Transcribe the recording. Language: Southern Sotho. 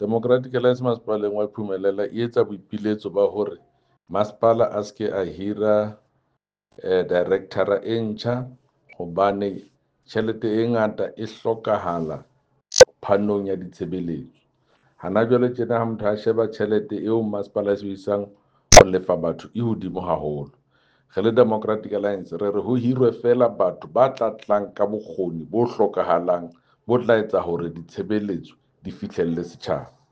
Democratic Alliance masepaleng wa Phumelela e etsa boipiletso ba hore masepala a se ke a hira director e ntjha hobane tjhelete e ngata e hlokahala phanong ya ditshebeletso. Hana jwale tjena ha motho a sheba tjhelete eo masepala e sebedisang ho lefa batho e hodimo haholo. Re le Democratic Alliance re re ho hirwe feela batho ba tla tlang ka bokgoni bo hlokahalang bo tla etsa hore ditshebeletso di fihlelle setjhaba.